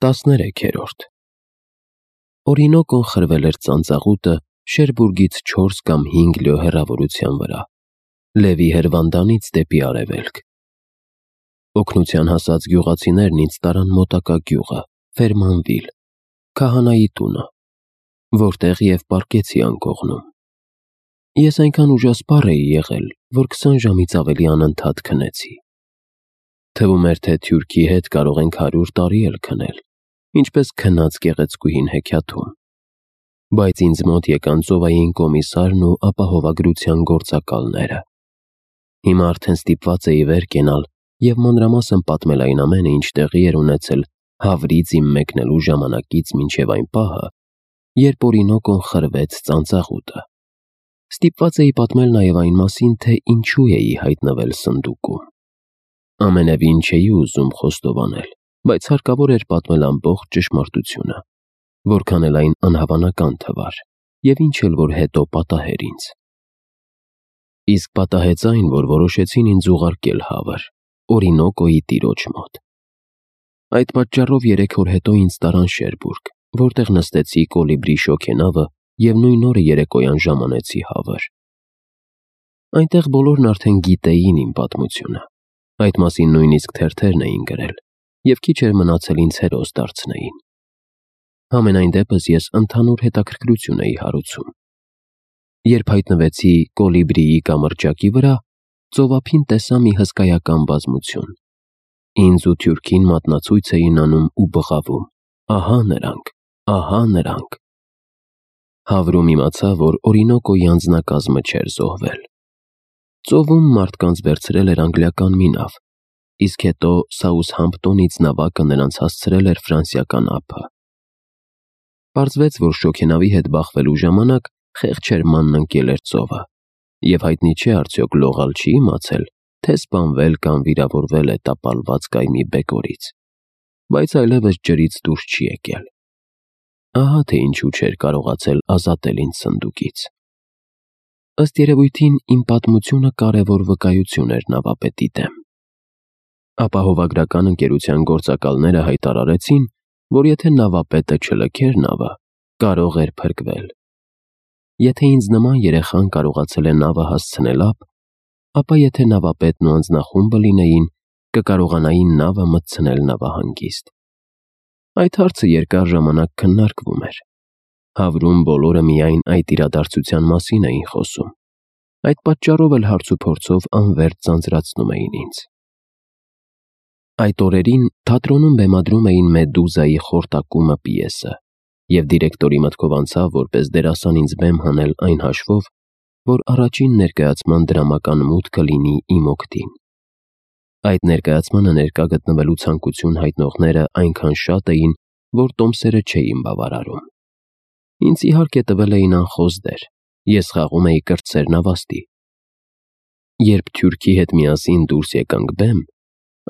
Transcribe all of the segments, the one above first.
13-րդ Օրինոկոն խրվել էր ծանծաղուտը Շերբուրգից 4 կամ 5 լյո հեռավորության վրա, Լևի հրվանդանից դեպի արևելք։ Օգնության հասած գյուղացիներն ինձ տարան մոտակա գյուղը, Ֆերմանվիլ, քահանայի տունը, որտեղ և պառկեցի անկողնում։ Ես այնքան ուժասպառ էի եղել, որ 20 ժամից ավելի անընդհատ քնեցի։ Թվում էր, թե թուրքի հետ կարող ենք 100 տարի էլ քնել, ինչպես քնած գեղեցկուհին հեքիաթում։ Բայց ինձ մոտ եկան ծովային կոմիսարն ու ապահովագրության գործակալները։ Հիմա արդեն ստիպված էի վեր կենալ և մանրամասն պատմել այն ամենը, ինչ տեղի էր ունեցել Հավրից իմ մեկնելու ժամանակից մինչև այն պահը, երբ Օրինոկոն խրվեց ծանծաղուտը։ Ստիպված էի պատմել նաև այն մասին, թե ինչու էի հայտնվել սնդուկում։ Ամենևին չէի ուզում խոստովանել, բայց հարկավոր էր պատմել ամբողջ ճշմարտությունը, որքան էլ այն անհավանական թվար, և ինչ էլ որ հետո պատահեր ինձ։ Իսկ պատահեց այն, որ որոշեցին ինձ ուղարկել Հավր, Օրինոկոյի տիրոջ մոտ։ Այդ պատճառով 3 օր հետո ինձ տարան Շերբուրգ, որտեղ նստեցի կոլիբրի շոգենավը և նույն օրը երեկոյան ժամանեցի Հավր։ Այնտեղ բոլորն արդեն գիտեին իմ պատմությունը, այդ մասին նույնիսկ թերթերն էին գրել, և քիչ էր մնացել ինձ հերոս դարձնեին։ Համենայն դեպս ես ընդհանուր հետաքրքրություն էի հարուցում։ Երբ հայտնվեցի կոլիբրիի կամրջակի վրա, ծովափին տեսա մի հսկայական բազմություն։ Ինձ ու թուրքին մատնացույց էին անում ու բղավում. «Ահա նրանք, ահա նրանք»։ Հավրում իմացա, որ Օրինոկոյի անձնակազմը չէր զոհվել։ Ծովում մարդկանց վերցրել էր անգլիական մի նավ, իսկ հետո Սաութհամփտոնից նավակը նրանց հասցրել էր ֆրանսիական ափը։ Պարզվեց, որ շոգենավի հետ բախվելու ժամանակ խեղճ Շերմանն ընկել էր ծովը, և հայտնի չէ արդյոք լողալ չի իմացել, թե սպանվել կամ վիրավորվել է տապալված կայմի բեկորից, բայց այլևս ջրից դուրս չի եկել։ Ահա թե ինչու չէր կարողացել ազատել ինձ սնդուկից։ Ըստ երևույթին իմ պատմությունը կարևոր վկայություն էր նավապետի դեմ։ Ապահովագրական ընկերության գործակալները հայտարարեցին, որ եթե նավապետը չլքեր նավը, կարող էր փրկվել։ Եթե ինձ նման երեխան կարողացել է նավը հասցնել ափ, ապա եթե նավապետն ու անձնախումբը լինեին, կկարողանային նավը մտցնել նավահանգիստ։ Այդ հարցը երկար ժամանակ քննարկվում էր։ Հավրում բոլորը միայն այդ իրադարձության մասին էին խոսում։ Այդ պատճառով էլ հարցուփորձով անվերջ ձանձրացնում էին ինձ։ Այդ օրերին թատրոնում բեմադրում էին Մեդուզայի «Խորտակումը» պիեսը, և դիրեկտորի մտքով անցավ որպես դերասան ինձ բեմ հանել այն հաշվով, որ առաջին ներկայացման դրամական մուտքը լինի իմ օգտին։ Այդ ներկայացմանը ներկա գտնվելու ցանկություն հայտնողները այնքան շատ էին, որ տոմսերը չէին բավարարում։ Ինձ իհարկե տվել էին անխոզ դեր, ես խաղում էի կրտսեր նավաստի։ Երբ թուրքի հետ միասին դուրս եկանք բեմ,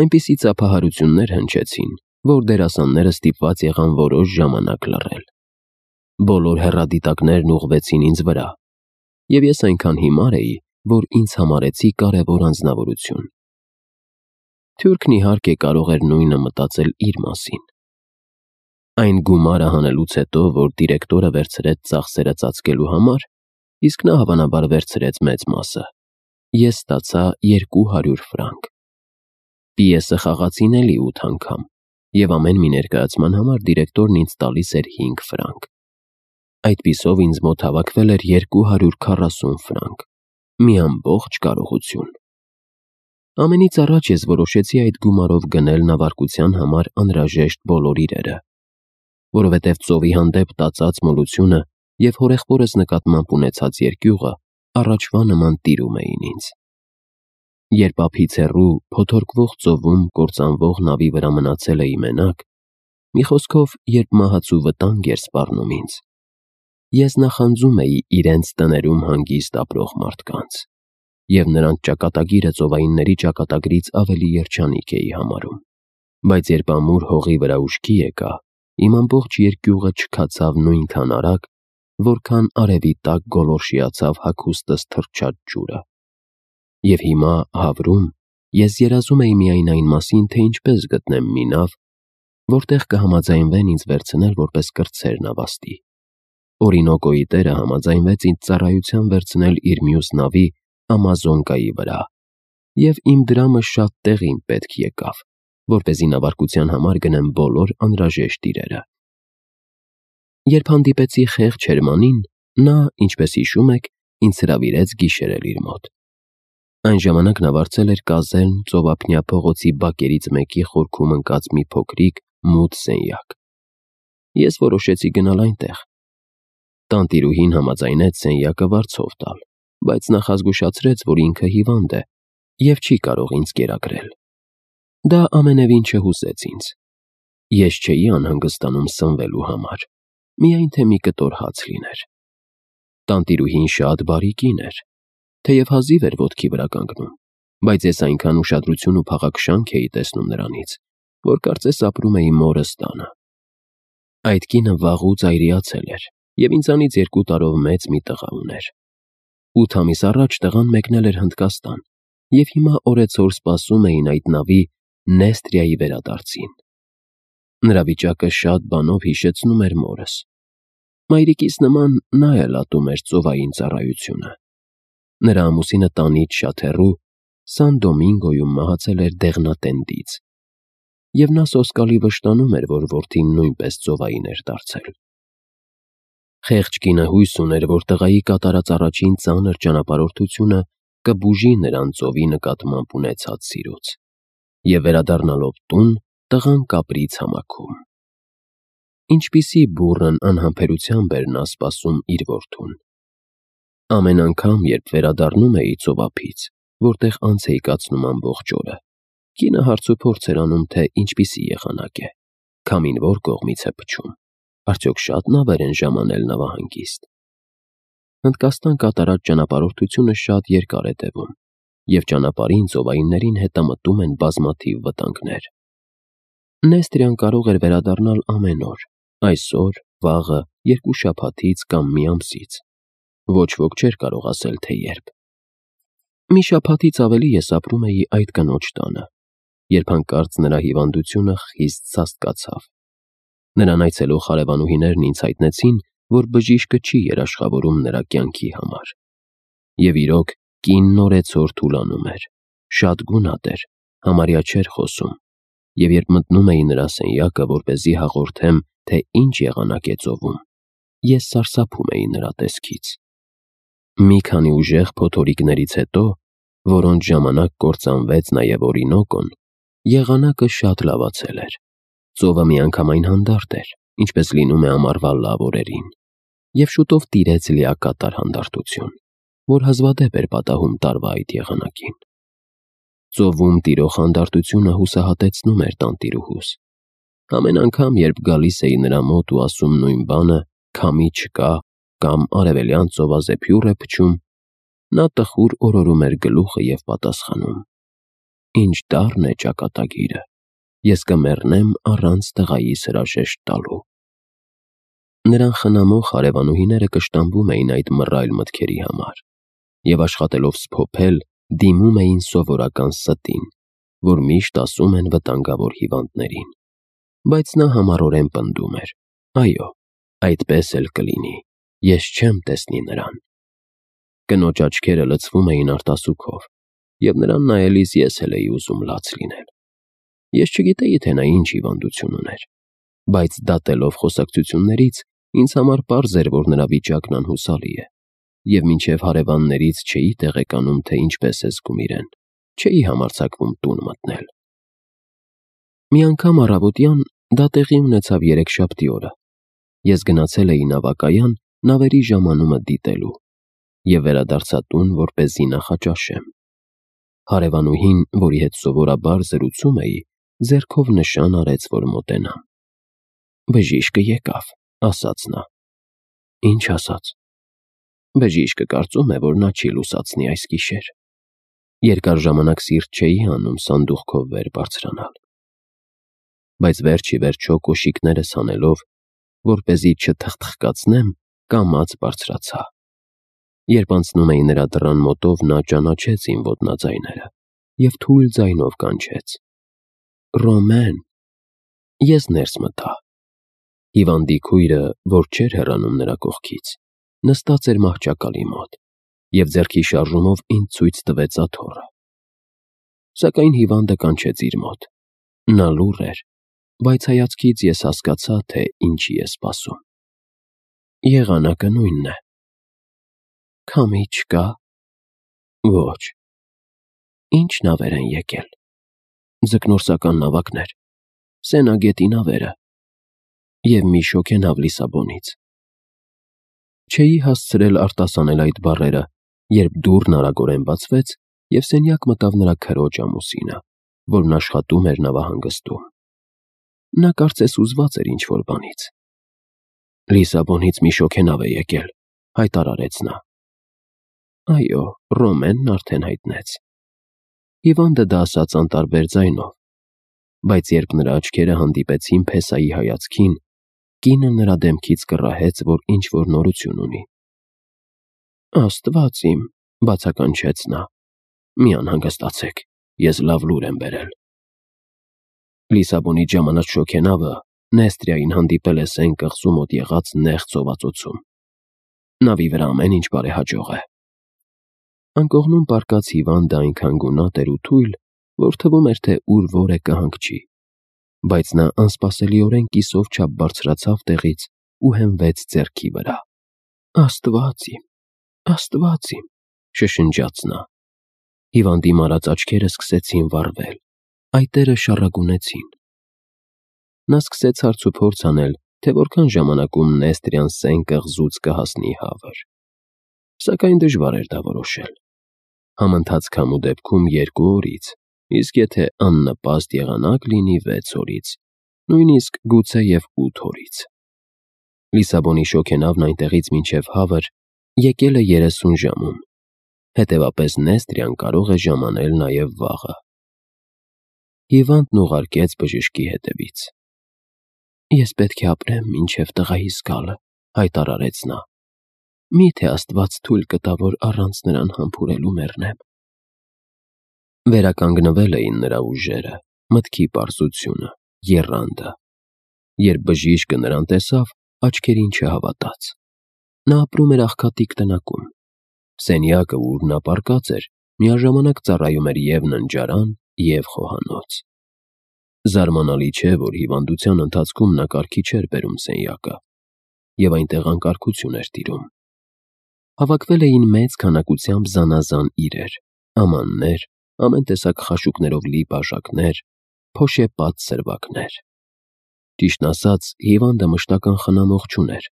այնպիսի ծափահարություններ հնչեցին, որ դերասանները ստիպված եղան որոշ ժամանակ լռել։ Բոլոր հեռադիտակներն ուղղվեցին ինձ վրա, և ես այնքան հիմար էի, որ ինձ համարեցի կարևոր անձնավորություն։ Թուրքն իհարկե կարող էր նույնը մտածել իր մասին։ Այն գումարը հանելուց հետո, որ դիրեկտորը վերցրեց ծախսերը ծածկելու համար, իսկ նա հավանաբար վերցրեց մեծ մասը, ես ստացա 200 ֆրանկ։ Պիեսը խաղացին էլի 8 անգամ, և ամեն մի ներկայացման համար դիրեկտորն ինձ տալիս էր 5 ֆրանկ։ Այդպիսով ինձ մոտ հավաքվել էր 240 ֆրանկ, մի ամբողջ կարողություն։ Ամենից առաջ ես որոշեցի այդ գումարով գնել նավարկության համար անհրաժեշտ բոլոր իրերը, որովհետև ծովի հանդեպ տածած մոլությունը և հորեղբորս նկատմամբ ունեցած երկյուղը առաջվա նման տիրում էին ինձ։ Երբ ափից հեռու, փոթորկվող ծովում կործանվող նավի վրա մնացել էի մենակ, մի խոսքով, երբ մահացու վտանգ էր սպառնում ինձ, ես նախանձում էի իրենց տներում հանգիստ ապրող մարդկանց, և նրանց ճակատագիրը ծովայինների ճակատագրից ավելի երջանիկ էի համարում։ Բայց երբ ամուր հողի վրա ուշքի եկա, իմ ամբողջ երկյուղը չքացավ նույնքան արագ, որքան արևի տակ գոլորշիացավ հագուստս թռչած ջուրը։ Եվ հիմա Հավրում ես երազում էի միայն այն մասին, թե ինչպես գտնեմ մի նավ, որտեղ կհամաձայնվեն ինձ վերցնել որպես կրտսեր նավաստի։ Օրինոկոյի տերը համաձայնվեց ինձ ծառայության վերցնել իր մյուս նավի Ամազոնկայի վրա, և իմ դրամը շատ տեղին պետք եկավ, որպեսզի նավարկության համար գնեմ բոլոր անհրաժեշտ իրերը։ Երբ հանդիպեցի խեղճ Հերմանին, նա, ինչպես հիշում եք, ինձ հրավիրեց գիշերել իր մոտ։ Այն ժամանակ նա վարձել էր կազելն ծովափնյա փողոցի բակերից մեկի խորքում ընկած մի փոքրիկ, մութ սենյակ։ Ես որոշեցի գնալ այնտեղ։ Տանտիրուհին համաձայնեց սենյակը վարձով տալ, բայց նախազգուշացրեց, որ ինքը հիվանդ է և չի կարող ինձ կերակրել։ Դա ամենևին չհուզեց ինձ։ Ես չէի անհանգստանում սնվելու համար, միայն թե մի կտոր հաց լիներ։ Տանտիրուհին շատ բարի կին էր, թեև հազիվ էր ոտքի վրա կանգնում, բայց ես այնքան ուշադրություն ու փաղաքշանք էի տեսնում նրանից, որ կարծես ապրում էի մորս տանը։ Այդ կինը վաղուց այրիացել էր և ինձանից 2 տարով մեծ մի տղա ուներ։ 8 ամիս առաջ տղան մեկնել էր Հնդկաստան, և հիմա օրեցօր սպասում էին այդ նավի Նեստրիայի վերադարձին։ Նրա վիճակը շատ բանով հիշեցնում էր մորս։ Մայրիկիս նման նա էլ ատում էր ծովային ծառայությունը։ Նրա ամուսինը տանից շատ հեռու Սան Դոմինգոյում մահացել էր դեղնատենդից, և նա սոսկալի վշտանում էր, որ որդին նույնպես ծովային էր դարձել։ Խեղճ կինը հույս ուներ, որ տղայի կատարած առաջին ծանր ճանապարհորդությունը կբուժի նրան ծովի նկատմամբ ունեցած սիրուց, և վերադառնալով տուն, տղան կապրի ցամաքում։ Ինչպիսի բուռն անհամբերությամբ էր նա սպասում իր որդուն։ Ամեն անգամ, երբ վերադառնում էի ծովափից, որտեղ անց էի կացնում ամբողջ օրը, կինը հարցուփորձ էր անում, թե ինչպիսի եղանակ է, քամին որ կողմից է փչում, արդյոք շատ նավեր են ժամանել նավահանգիստ։ Հնդկաստան կատարած ճանապարհորդությունը շատ երկար է տևում, և ճանապարհին ծովայիններին հետամտում են բազմաթիվ վտանգներ։ Նեստրիան կարող էր վերադառնալ ամեն օր, այսօր, վաղը, 2 շաբաթից կամ մի ամսից։ Ոչ ոք չէր կարող ասել, թե երբ։ Մի շաբաթից ավելի ես ապրում էի այդ կնոջ տանը, երբ հանկարծ նրա հիվանդությունը խիստ սաստկացավ։ Նրան այցելող հարևանուհիներն ինձ հայտնեցին, որ բժիշկը չի երաշխավորում նրա կյանքի համար։ Եվ իրոք, կինն օրեցօր թուլանում էր, շատ գունատ էր, համարյա չէր խոսում, և երբ մտնում էի նրա սենյակը, որպեսզի հաղորդեմ, թե ինչ եղանակ է ծովում, ես սարսափում էի նրա տեսքից։ Մի քանի ուժեղ փոթորիկներից հետո, որոնց ժամանակ կործանվեց նաև Օրինոկոն, եղանակը շատ լավացել էր։ Ծովը միանգամայն հանդարտ էր, ինչպես լինում է ամառվա լավ օրերին, և շուտով տիրեց լիակատար հանդարտություն, որ հազվադեպ էր պատահում տարվա այդ եղանակին։ Ծովում տիրող հանդարտությունը հուսահատեցնում էր տանտիրուհուս։ Ամեն անգամ, երբ գալիս էի նրա մոտ ու ասում նույն բանը՝ քամի չկա կամ արևելյան ծովազեփյուռ է փչում, նա տխուր օրորում էր գլուխը և պատասխանում. «Ինչ դառն է ճակատագիրը, ես կմեռնեմ առանց տղայիս հրաժեշտ տալու»։ Նրան խնամող հարևանուհիները կշտամբում էին այդ մռայլ մտքերի համար, և աշխատելով սփոփել, դիմում էին սովորական ստին, որ միշտ ասում են վտանգավոր հիվանդներին։ Բայց նա համառորեն պնդում էր. «Այո, այդպես էլ կլինի, ես չեմ տեսնի նրան»։ Կնոջ աչքերը լցվում էին արտասուքով, և նրան նայելիս ես էլ էի ուզում լաց լինել։ Ես չգիտեի, թե նա ինչ հիվանդություն ուներ, բայց դատելով խոսակցություններից, ինձ համար պարզ էր, որ նրա վիճակն անհուսալի է, և մինչև հարևաններից չէի տեղեկանում, թե ինչպես է զգում իրեն, չէի համարձակվում տուն մտնել։ Մի անգամ առավոտյան, դա տեղի ունեցավ երեքշաբթի օրը, ես գնացել էի նավակայան նավերի ժամանումը դիտելու և վերադարձա տուն, որպեսզի նախաճաշեմ։ Հարևանուհին, որի հետ սովորաբար զրուցում էի, ձեռքով նշան արեց, որ մոտենամ։ «Բժիշկը եկավ», ասաց նա։ «Ինչ ասաց»։ «Բժիշկը կարծում է, որ նա չի լուսացնի այս գիշեր»։ Երկար ժամանակ սիրտ չէի անում սանդուղքով վեր բարձրանալ, բայց վերջ ի վերջո կոշիկներս հանելով, որպեսզի չթխթխկացնեմ, կամաց բարձրացա։ Երբ անցնում էի նրա դռան մոտով, նա ճանաչեց իմ ոտնաձայները և թույլ ձայնով կանչեց. «Ռոմեն»։ Ես ներս մտա։ Հիվանդի քույրը, որ չէր հեռանում նրա կողքից, նստած էր մահճակալի մոտ և ձեռքի շարժումով ինձ ցույց տվեց աթոռը։ Սակայն հիվանդը կանչեց իր մոտ։ Նա լուռ էր, բայց հայացքից ես հասկացա, թե ինչի է սպասում։ Եղանակը նույնն է։ Քամի չկա։ Ոչ։ Ինչ նավեր են եկել։ Ձկնորսական նավակներ, Սենագետի նավերը և մի շոգենավ Լիսաբոնից։ Չէի հասցրել արտասանել այդ բառերը, երբ դուռն արագորեն բացվեց և սենյակ մտավ նրա քրոջ ամուսինը, որն աշխատում էր նավահանգստում։ Նա կարծես հուզված էր ինչ-որ բանից։ Լիսաբոնից մի շոգենավ է եկել, հայտարարեց նա։ Այո, Ռոմենն արդեն հայտնեց։ Հիվանդը դա ասաց անտարբեր ձայնով, բայց երբ նրա աչքերը հանդիպեցին Փեսայի հայացքին, կինը նրա դեմքից կռահեց, որ ինչ-որ նորություն ունի։ Աստված իմ, բացականչեց նա, մի անհանգստացեք, ես լավ լուր եմ բերել։ Լիսաբոնի ժամանած շոգենավը Նեստրիային հանդիպել է Սեն կղզու մոտ եղած նեղ ծովածոցում։ Նավի վրա ամեն ինչ բարեհաջող է։ Անկողնում պառկած հիվանդը այնքան գունատ էր ու թույլ, որ թվում էր, թե ուր որ է կհանգչի, բայց նա անսպասելիորեն կիսով չափ բարձրացավ տեղից ու հենվեց ձեռքի վրա։ Աստված իմ, շշնջաց նա։ Հիվանդի մարած աչքերը սկսեցին վառվել, այտերը շառագունեցին։ Նա սկսեց հարցուփորձ անել, թե որքան ժամանակում Նեստրիան Սեն կղզուց կհասնի հավր։ Սակայն դժվար էր դա որոշել։ Համընթաց քամու դեպքում 2 օրից, իսկ եթե աննպաստ եղանակ լինի 6 օրից, նույնիսկ գուցե և 8 օրից։ Լիսաբոնի շոգենավն այնտեղից մինչև հավր եկել է 30 ժամում, հետևապես Նեստրիան կարող է ժամանել նաև վաղը։ Հիվանդն ուղարկեց բժշկի հետևից։ Ես պետք է ապրեմ մինչև տղայիս գալը, հայտարարեց նա։ Միթե Աստված թույլ կտա, որ առանց նրան համբուրելու մեռնեմ։ Վերականգնվել էին նրա ուժերը, մտքի պարզությունը, եռանդը։ Երբ բժիշկը նրան տեսավ, աչքերին չհավատաց։ Նա ապրում էր աղքատիկ տնակում։ Սենյակը, ուր նա պառկած էր, միաժամանակ ծառայում էր և ննջարան, և խոհանոց։ Զարմանալի չէ, որ հիվանդության ընթացքում նա կարգի չէր բերում սենյակը, և այնտեղ անկարգություն էր տիրում։ Հավաքվել էին մեծ քանակությամբ զանազան իրեր, ամաններ, ամեն տեսակ խաշուկներով լի բաժակներ, փոշեպատ սրվակներ։ Ճիշտն ասած, հիվանդը մշտական խնամող չուներ։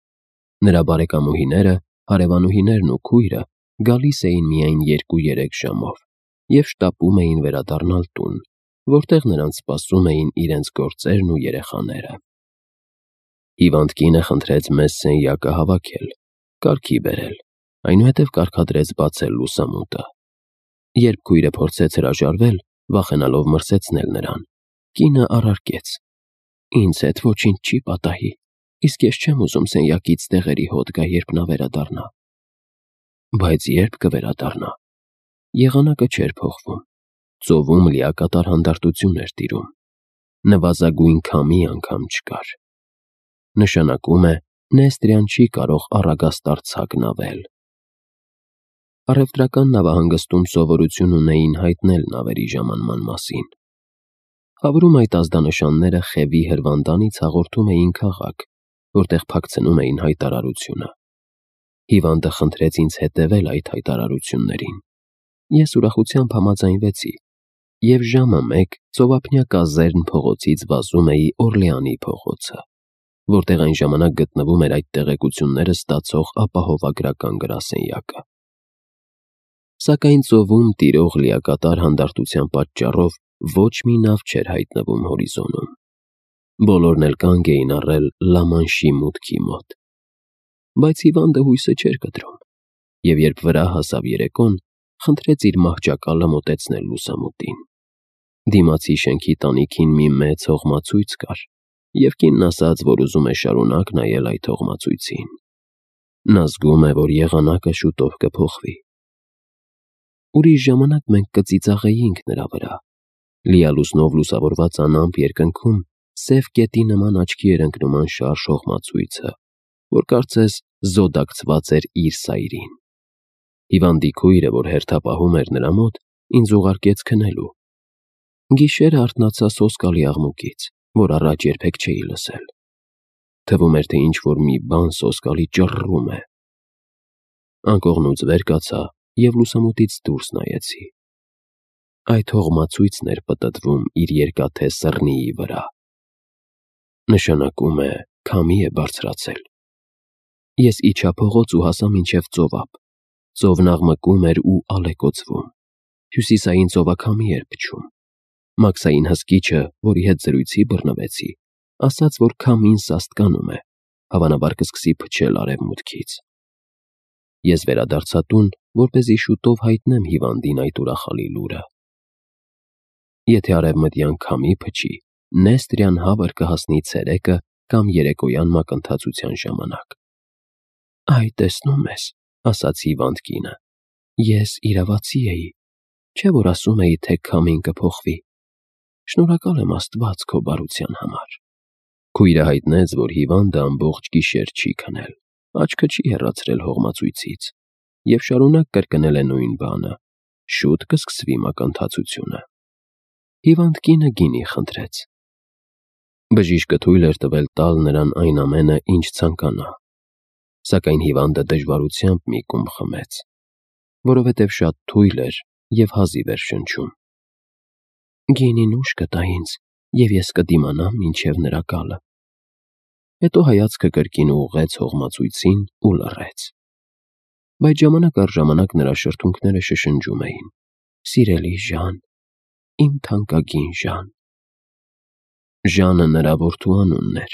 Նրա բարեկամուհիները, հարևանուհիներն ու քույրը գալիս էին միայն 2-3 ժամով և շտապում էին վերադառնալ տուն, որտեղ նրանց սպասում էին իրենց գործերն ու երեխաները։ Հիվանդ կինը խնդրեց մեզ սենյակը հավաքել, կարգի բերել, այնուհետև կարգադրեց բացել լուսամուտը։ Երբ քույրը փորձեց հրաժարվել, վախենալով մրսեցնել նրան, կինը առարկեց. Ինձ հետ ոչինչ չի պատահի, իսկ ես չեմ ուզում սենյակից տեղերի հոտ գա, երբ նա վերադառնա։ Բայց երբ կվերադառնա։ Եղանակը չէր փոխվում։ Ծովում լիակատար հանդարտություն էր տիրում։ Նվազագույն քամի անգամ չկար։ Նշանակում է, Նեստրիան չի կարող առագաստար ցագնավել։ Առևտրական նավահանգստում սովորություն ունեին հայտնել նավերի ժամանման մասին։ Հավրում այդ ազդանշանները Խևի հրվանդանից հաղորդում էին քաղաք, որտեղ փակցնում էին հայտարարությունը։ Հիվանդը խնդրեց ինձ հետևել այդ հայտարարություններին։ Ես ուրախությամբ համաձայնվեցի, և ժամը 1 ծովափնյա կազերն փողոցից վազում էի Օրլեանի փողոցը, որտեղ այն ժամանակ գտնվում էր այդ տեղեկությունները ստացող ապահովագրական գրասենյակը։ Սակայն ծովում տիրող լիակատար հանդարտության պատճառով ոչ մի նավ չէր հայտնվում հորիզոնում։ Բոլորն էլ կանգ էին առել Լամանշի մուտքի մոտ։ Բայց հիվանդը հույսը չէր կտրում, և երբ վրա հասավ երեկոն, խնդրեց իր մահճակալը մոտեցնել լուսամուտին։ Դիմացի շենքի տանիքին մի մեծ հողմացույց կար, և կինն ասաց, որ ուզում է շարունակ նայել այդ հողմացույցին։ Նա զգում է, որ եղանակը շուտով կփոխվի։ Ուրիշ ժամանակ մենք կծիծաղեինք նրա վրա։ Լիալուսնով լուսավորված անամպ երկնքում սև կետի նման աչքի էր ընկնում անշարժ հողմացույցը, որ կարծես զոդակցված էր իր սայրին։ Հիվանդի քույրը, որ հերթապահում էր նրա մոտ, ինձ ուղարկեց քնելու։ Գիշերը արթնացա սոսկալի աղմուկից, որ առաջ երբեք չէի լսել։ Թվում էր, թե ինչ-որ մի բան սոսկալի ճռռում է։ Անկողնուց վեր կացա և լուսամուտից դուրս նայեցի։ Այդ հողմացույցն էր պտտվում իր երկաթե սռնիի վրա։ Նշանակում է, քամի է բարձրացել։ Ես իջա փողոց ու հասա մինչև ծովափ։ Ծովն աղմկում էր ու ալեկոծվում։ Հյուսիսային ծովաքամի էր փչում։ Մաքսային հսկիչը, որի հետ զրույցի բռնվեցի, ասաց, որ քամին սաստկանում է, հավանաբար կսկսի փչել արևմուտքից։ Ես վերադարձա տուն, որպեսզի շուտով հայտնեմ հիվանդին այդ ուրախալի լուրը։ Եթե արևմտյան քամի փչի, Նեստրյան հավր կհասնի ցերեկը կամ երեկոյան մակընթացության ժամանակ։ «Այ, տեսնում ես», ասաց հիվանդ կինը, «ես իրավացի էի, չէ՞ որ ասում էի, թե քամին կփոխվի։ Շնորհակալ եմ Աստված քո բարության համար»։ Քույրը հայտնեց, որ հիվանդը ամբողջ գիշեր չի քնել, աչքը չի հեռացրել հողմացույցից և շարունակ կրկնել է նույն բանը. շուտ կսկսվի մակընթացությունը։ Հիվանդ կինը գինի խնդրեց։ Բժիշկը թույլ էր տվել տալ նրան այն ամենը, ինչ ցանկանա, սակայն հիվանդը դժվարությամբ մի կում խմեց, որովհետև շատ թույլ էր և հազիվ էր շնչում։ «Գինին ուժ կտա ինձ, և ես կդիմանամ մինչև նրա գալը»։ Հետո հայացքը կրկին ուղղեց հողմացույցին ու լռեց։ Բայց ժամանակ առ ժամանակ նրա շրթունքները շշնջում էին. «Սիրելի Ժան, իմ թանկագին Ժան»։ Ժանը նրա որդու անունն էր,